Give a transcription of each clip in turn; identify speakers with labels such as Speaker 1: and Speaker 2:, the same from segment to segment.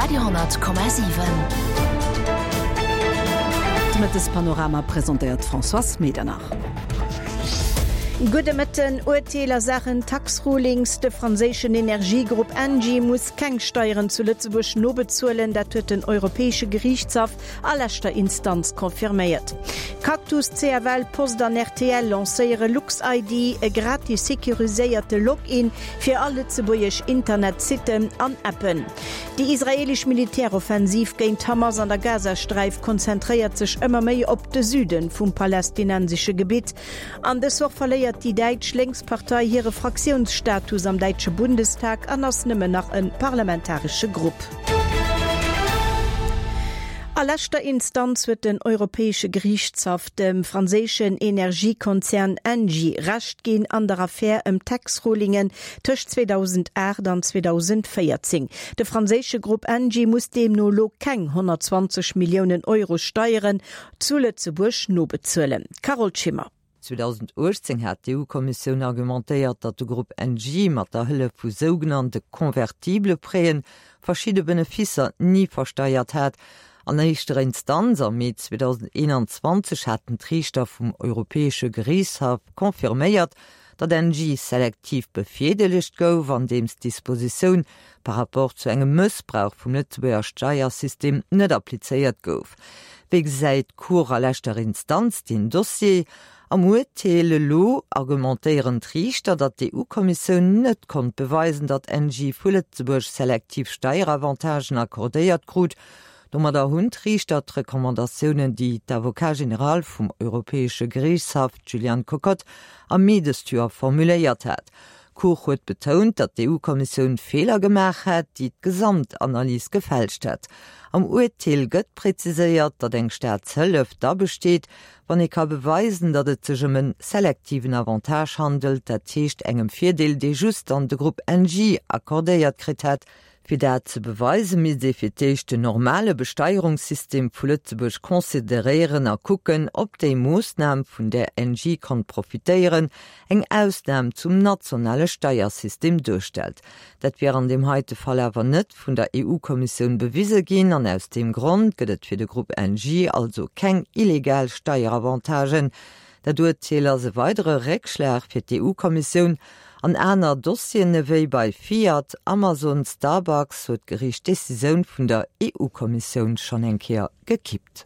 Speaker 1: Radio 10,7.
Speaker 2: De Mëttespanorama presentéiert d'Françoise Medernach.
Speaker 3: Gudde Mëtten. Urteel a Saachen Tax-Rulings, De franséischen Energiegrupp Engie muss keng Steieren zu Lëtzebuerg nobezuelen. Dat huet den Europäesche Geriichtshaff a leschter Instanz confirméiert. Cactus, CFL, Post an rtl lancéiere LuxID, e gratis securiséierte Login fir all lëtzebuergesch Internetsitten an Appen. Déi israeelesch Militäroffensiv géint d'Hamas an der Gazasträif konzentréiert sech ëmmer méi op de Süde vum palästinensesche Gebitt. An dës Woch verléiert déi däitsch Lénkspartei hire Fraktiounsstatus am däitsche Bundestag an ass nëmmen nach e parlamentaresche Grupp. A leschter Instanz huet den Europäesche Geriichtshaff dem franséischen Energiekonzern Engie Recht ginn an der Affär ëm d'Tax-Rulingen tëscht 2008 an 2014. De franséische Grupp Engie muss deemno elo keng 120 Milliounen Euro Steieren zu Lëtzebuerg nobezuelen. Carole Schimmer.
Speaker 4: 2018 hat d'EU-Kommissioun argumentéiert, datt de Grupp Engie mat der Hëllef vu sougenannte convertible Prêten verschidde Beneficer ni versteiert hat. An éischter Instanz am Mee 2021 haten d'Riichter vum Europäesche Geriichtshaff confirméiert, datt Engie selektiv bevirdeelegt gouf, andeems d'Dispositioun par rapport zu engem Mëssbrauch vum Lëtzebuerger Steiersystem net applizéiert gouf. Wéi gesäit d'Cour a leschter Instanz deen Dossier? Am Urteel elo argumentéieren d'Riichter, datt d'EU-Kommissioun net konnt beweisen, datt Engie vu Lëtzebuerg selektiv Steieravantagen accordéiert krut. Domadder hunn d'Riichter d'Recommandatiounen, déi d'Avocat général vum Europäesche Geriichtshaff, d'Juliane Kokott, am Mee dëst Joer formuléiert hat, D'Cour huet betount, datt d'EU-Kommissioun Feeler gemaach hätt, déi d'Gesamtanalys gefälscht hätt. Am Urteel gëtt preziséiert, datt eng Staatshëllef da besteet, wann ee ka beweisen, datt et sech ëm e selektiven Avantage handelt, dat heescht engem Virdeel, dee just dann de Grupp Engie accordéiert kritt hätt. Fir dat ze beweisen, misst ee fir d'éischt den normale Besteierungssystem vu Lëtzebuerg consideréieren a kucken, ob déi Moossnam, vun där Engie konnt profitéieren, eng Ausnam zum nationale Steiersystem duerstellt. Dat wier an deem heite Fall awer net vun der EU-Kommissioun bewise ginn an aus deem Grond gëtt et fir de Grupp Engie also keng illegal Steieravantagen. Dat Urteel ass e weidere Réckschlag fir d'EU-Kommissioun. An aner Dossieren ewéi bei Fiat, Amazon, Starbucks huet d'Geriicht d'Decisioun vun der EU-Kommissioun schonn eng Kéier gekippt.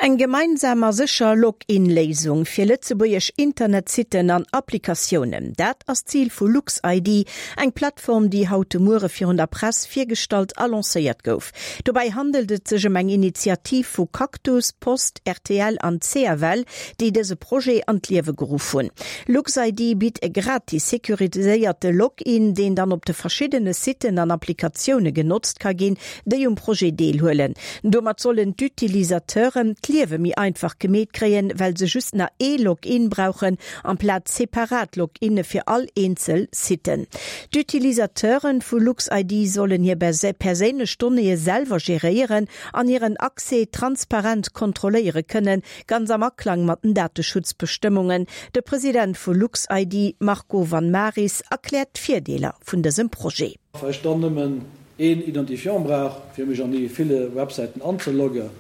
Speaker 3: Eng gemeinsam a sécher Login-Léisung fir lëtzebuergesch Internetsitten an Applikatiounen, dat ass d'Zil vu LuxID, eng Plattform, déi haut de Muere virun der Press virgestallt a lancéiert gouf. Dobäi handelt et sech ëm eng Initiativ vu Cactus, Post, rtl an CFL, déi dëse Projet an d'Liewe geruff hunn. LuxID bitt e gratis securiséierte Login, deen dann op de verschiddene Siten an Applikatioune genotzt ka ginn, déi um Projet deelhuelen. Domat sollen d'Utilisateuren d'Liewe méi einfach gemeet kréien, well se just nach ee Login brauchen, amplaz separat Loginne fir all eenzel Siten. D'Utilisateure vu LuxID sollen hir perséinlech Donnéeë selwer geréieren an hiren Accès transparent kontrolléiere kënnen, ganz am Aklang mat den Dateschutzbestëmmungen. De President vu LuxID, Marco Van Maris, erkläert d'Virdeeler vun dësem Projet.
Speaker 5: Well ech dann nëmmen een Identifiant brauch fir mech an déi ville Websäiten anzelogge.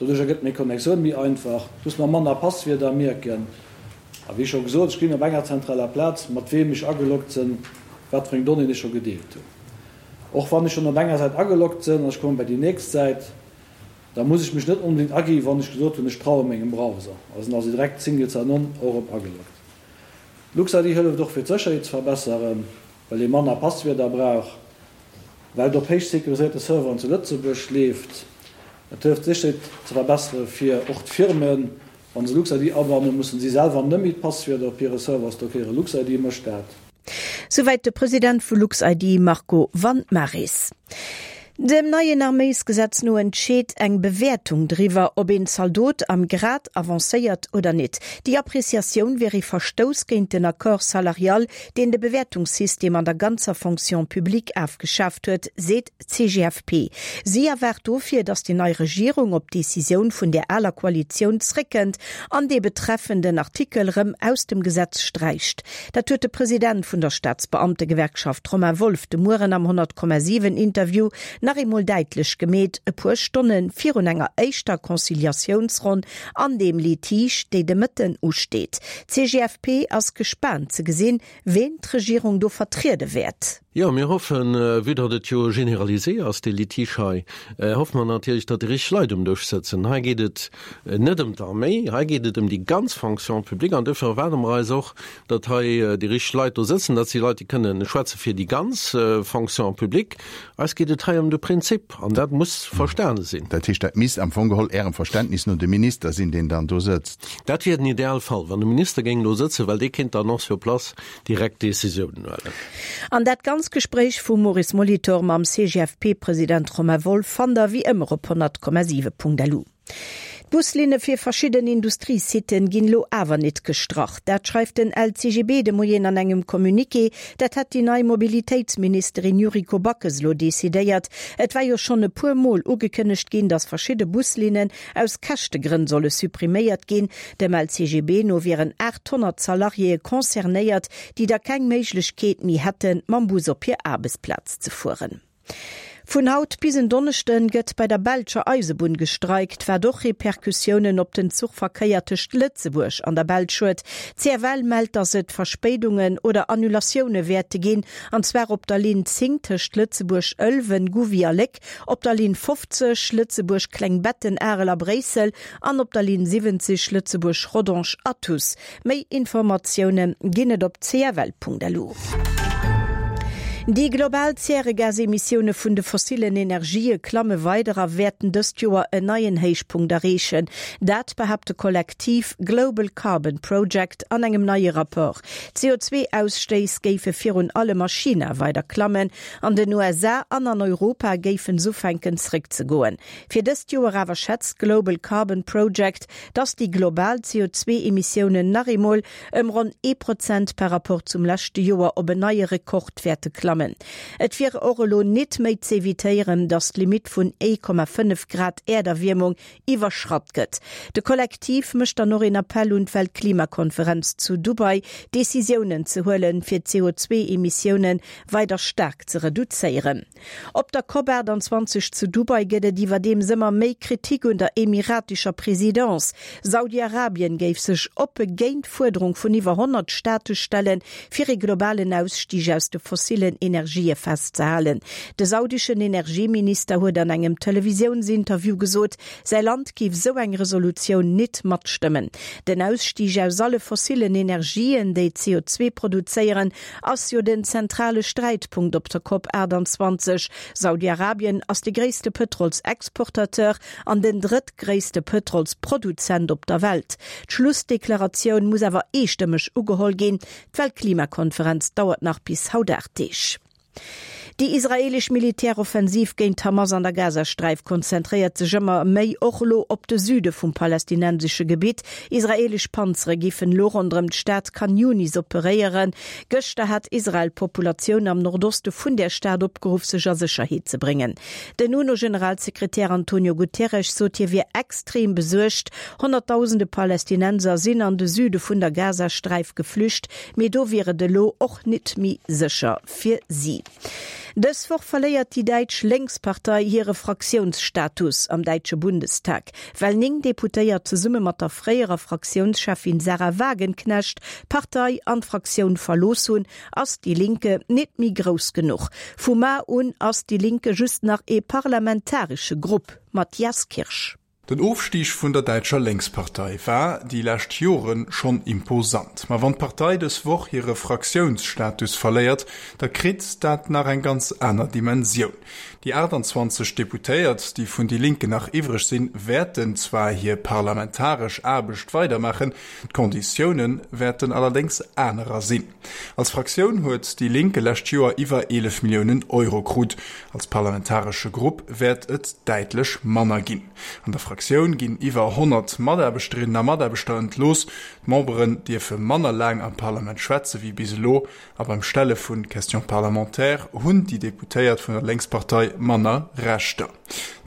Speaker 5: Doduercher gëtt meng Connectioun méi einfach, ech muss mer manner Passwierder mierken a wéi scho gesot, ech gesinn op enger zentraler Plaz mat weem ech ageloggt sënn, wat fir eng Donnéeën ech scho gedeelt hunn. Och wann ech schonn op enger Säit ageloggt sënn an ech komme bei déi nächst Säit, da muss ech mech net onbedéngt agi wann ech gesot hunn, ech traue mengem Browser a sinn also direkt Single Sign-On och erëm ageloggt. LuxID hëlleft och fir d'Sécherheet ze verbesseren, well ee manner Passwierder brauch. Well et op héich securiséierte Serveren zu Lëtzebuerg leeft. Et hëlleft d'Sécherheet ze verbessere fir och d'Firmen. Wa se LuxID abannen, mussen si selwer net méi d'Passwierder op hire Server stockéieren. LuxID mécht dat.
Speaker 3: Souwäit de President vu LuxID Marco Van Maris. Dem neien Arméisgesetz no entscheet eng Bewäertung driwwer, ob een Zaldot am Grad avancéiert oder nit. Déi Appreciatioun wier ee Verstouss géint den Accord salarial, deen de Bewäertungssystem an der ganzer Fonction publique afgeschaaft huet, seet d'CGFP. Si erwaart dofir, datt déi nei Regierung op d'Decisioun vun där aler Koalitioun zréckkënnt an dee betreffenden Artikel rëm aus dem Gesetz sträicht. Dat huet de President vun der Staatsbeamtegewerkschaft Romain Wolff de Mueren am 100,7 Interview nach. nach eemol däitlech gemeet, e puer Stonne virun enger éischter Conciliatiounsronn an deem Litige, déi de Mëtten usteet. D'CGFP ass gespaant ze gesinn, ween d'Regierung do vertriede wäert.
Speaker 1: Jo, mir hoffen, vue datt et jo généralisé ass, dee Litige hei, hoffe mer natierlech, datt déi richteg Leit um Dësch sëtzen. Hei geet et net ëm d'Arméi, hei geet et ëm déi ganz Fonction publique an duerfir erwaarde mer eis och, datt hei déi richteg Leit do sëtzen, dat si Leit, déi kënnen schwätze fir déi ganz Fonction publique. Eis geet et hei ëm de Prinzip an dat muss verstane sinn.
Speaker 6: Dat heescht, dat misst am Fong geholl Ärem Verständnis no de Minister sinn, deen dann do sëtzt?
Speaker 1: Dat wier den Idealfall, wann de Minister géing do sëtzen, well dee kéint dann och sur place direkt Decisiounen huelen.
Speaker 3: An dat ganz Gespréich vum Maurice Molitor mam CGFP-President Romain Wolff fannt der wéi ëmmer op 100,7.lu. D'Buslinne fir verschidden Industriesiten ginn elo awer nit gestrach. Dat schreift den LCGB de Moien an engem Communiqué. Dat hätt déi nei Mobilitéitsministerin Yuriko Backes elo decidéiert. Et war jo schonn e puer Mol ugekënnegt ginn, datt verschidde Buslinnen aus Käschtegrënn solle suppriméiert ginn. Dem LCGB no wieren 800 Salariéë concernéiert, déi da keng Méiglechkeet méi hätten, mam Bus op hir Aarbechtsplaz ze fueren. Vun haut bis en Donneschde gëtt bei der belscher Eisebunn gestreikt, wat och Repercussiounen op den Zuchverkéier tëscht Lëtzebuerg an der Belsch huet. D'CFL mellt, datt et Verspéidungen oder Annulatioune wäerte ginn, an zwar op der Linn 10 tëscht Lëtzebuerg Ëlwen, Gouvy a Léck, op der Linn 50, Lëtzebuerg, Klengbetten, Arel a Bréissel, an op der Linn 70, Lëtzebuerg, Rodange, Athus. Méi Informatioune ginn et op cfl.lu. Déi global Zäregasemissioune vun de fossillen Energië klamme weider a wäerten dëst Joer en neien Héichpunkt erreechen. Dat behaapt de Kollektiv Global Carbon Project an engem neie Rapport. D'CO2-Ausstéiss géife virun allem a China weider klammen. An den USA an an Europa géifen s'ufänken zréckzegoen. Fir dëst Joer awer schätzt d'Global Carbon Project, dass déi global CO2-Emissiounen nach eemol ëm ronn ee Prozent par Rapport zum leschte Joer op en neie Rekord wäerte klammen. Et wier och elo nit méi z'evitéieren, dass d'Limitt vun 1,5 Grad Äerderwiermung iwwerschratt gëtt. De Kollektiv mécht dann och een Appell un d'Weltklimakonferenz zu Dubai, Decisiounen ze huelen, fir d'CO2-Emissioune weider staark ze reduzéieren. Op der Cop 28 zu Dubai gëtt et iwwerdeems ëmmer méi Kritik un der emiratescher Presidence. Saudi-Arabien géif sech oppe géint d'Fuerderung vun iwwer 100 Staate stellen, fir ee globalen Ausstig aus de fossillen Energië festzehalen. De saudeschen Energieminister huet an engem Televisiounsinterview gesot, säi Land géif sou eng Resolutioun nit matstëmmen. Den Ausstig aus alle fossillen Energien, déi CO2 produzéieren, ass jo den zentrale Sträitpunkt op der Cop 28. Saudi-Arabien ass de gréisste Pëtrolsexportateur an den drëttgréisste Pëtrolsproduzent op der Welt. D'Schlussdeklaratioun muss awer eestëmmeg ugeholl ginn. D'Weltklimakonferenz dauert nach bis haut 8 Deeg. Déi israeelesch Militäroffensiv géint d'Hamas an der Gazasträif konzentréiert sech ëmmer méi och elo op de Süde vum palästinensesche Gebitt. Israeelesch Panzere géifen elo ronderëm d'Stad Khan Younis operéieren. Gëschter hat Israel d'Populatioun am Nordoste vun där Stad opgeruff, sech a Sécherheet ze bréngen. Den UNO-Generalsekretär Antonio Guterres sot, hie wier extrem besuergt. Honnertdausende Palästinenser sinn an de Süde vun der Gazasträif geflücht, mee do wier et elo och nit méi sécher fir si. Dës Woch verléiert déi däitsch Lénkspartei hire Fraktiounsstatus am däitsche Bundestag, well 9 Deputéiert zesumme mat der fréierer Fraktiounscheffin Sahra Wagenknecht d'Partei an d'Fraktioun verlooss hunn. Ass Die Linke nit méi grouss genuch? Vu mar un ass Die Linke just nach ee parlamentaresche Grupp. Matthias Kirsch.
Speaker 7: Den Ofstig vun der däitscher Lénkspartei war déi lescht Jore schonn imposant. Ma wann d'Partei dës Woch hire Fraktiounsstatus verléiert, da kritt dat nach eng ganz aner Dimensioun. Déi 28 Deputéiert, déi vun Die Linke nach iwwreg sinn, wäerten zwar hir parlamentaresch Aarbecht weidermaachen, d'Konditioune wäerten allerdéngs anerer sinn. Als Fraktioun huet déi Linke lescht Joer iwwer 11 Milliounen Euro krut. Als parlamentaresche Grupp wäert et däitlech manner ginn. An der Fraktioun ginn iwwer 100 Mataarbechterinnen a Mataarbechter entlooss. D'Memberen dierfe manner laang am Parlament schwätze wéi bis elo a beim Stelle vu Questions parlementaires hunn déi Deputéiert vun der Lénkspartei manner Rechter.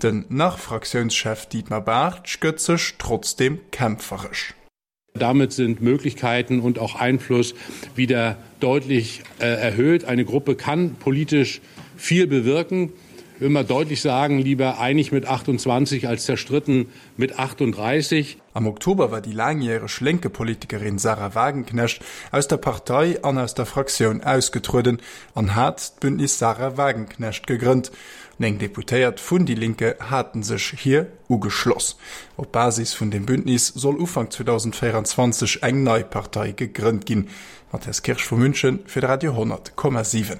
Speaker 7: Den Nach-Fraktiounschef Dietmar Bartsch gëtt sech trotzdeem kämpferesch.
Speaker 8: Damit sind Möglichkeiten und auch Einfluss wieder deutlich äh, erhöht. Eine Gruppe kann politisch viel bewirken. immer deutlich sagen, lieber einig mit 28 als zerstritten mit 38.
Speaker 7: Am Oktober war déi laangjäreg Lénke-Politikerin Sahra Wagenknecht aus der Partei an aus der Fraktioun ausgetrueden an hat d'Bündnis Sahra Wagenknecht gegrënnt. 9 Deputéiert vun Die Linke haten sech hir ugeschloss. Op Basis vun deem Bündnis soll Ufank 2024 eng nei Partei gegrënnt ginn. Matthias Kirsch vu München fir de Radio 10,7.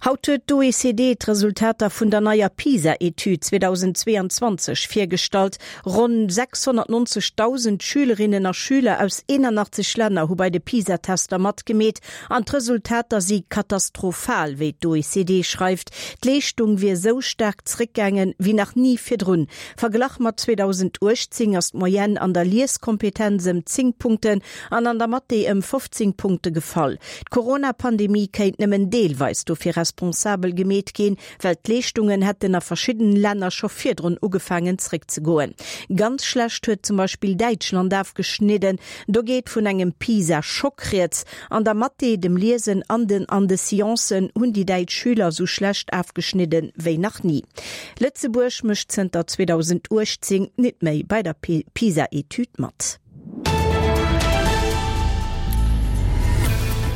Speaker 3: Haut huet d'OECD d'Resultater vun der neier PISA-Etüd 2022 virgestallt. Ronn 690.000 Schülerinnen a Schüler aus 81 Länner hu bei de PISA-Tester matgemeet an d'Resultater si katastrophal, wéi d'OECD schreift. D'Leeschtung wier esou staark zréckgaangen, wéi nach ni virdrun. Verglach mat 2018 ass d'Moyenne an der Lieskompetenz ëm 10 Punkten an an der Mathé ëm 15 Punkte gefall. D'Corona-Pandemie kéint nëmmen deelweis dofir responsabel gemeet ginn, well d'Leeschtungen hätten a verschiddenen Länner scho virdrun ugefaangen zréckzegoen. Ganz schlecht huet zum Beispill Däitschland afgeschnidden. Do geet vun engem PISA-Schock rieds. An der Mathé, dem Liesen an den an de Sciencen hunn déi däitsch Schüler sou schlecht afgeschnidde wéi nach ni. Lëtzebuerg mécht zënter 2018 nit méi bei der PISA-Etüd mat.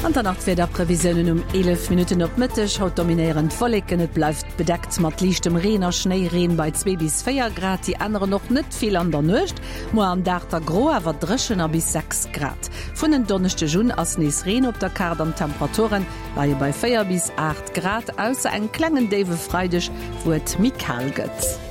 Speaker 2: An dann nach d'Wiederprevisiounen um 11 Minutten op Mëtteg. Haut dominéieren d'Wolleken, et bleift bedeckt mat liichtem Reen a Schnéireen bei 2 bis 4 Grad. Déi änneren och net vill an der Nuecht. Muer am Dag da gro, awer dréchen a bis 6 Grad. Vun en Donneschdeg un ass nees Reen op der Kaart an d'Temperature leie bei 4 bis 8 Grad, ausser engem klengen déiwe Freideg, wou et méi kal gëtt.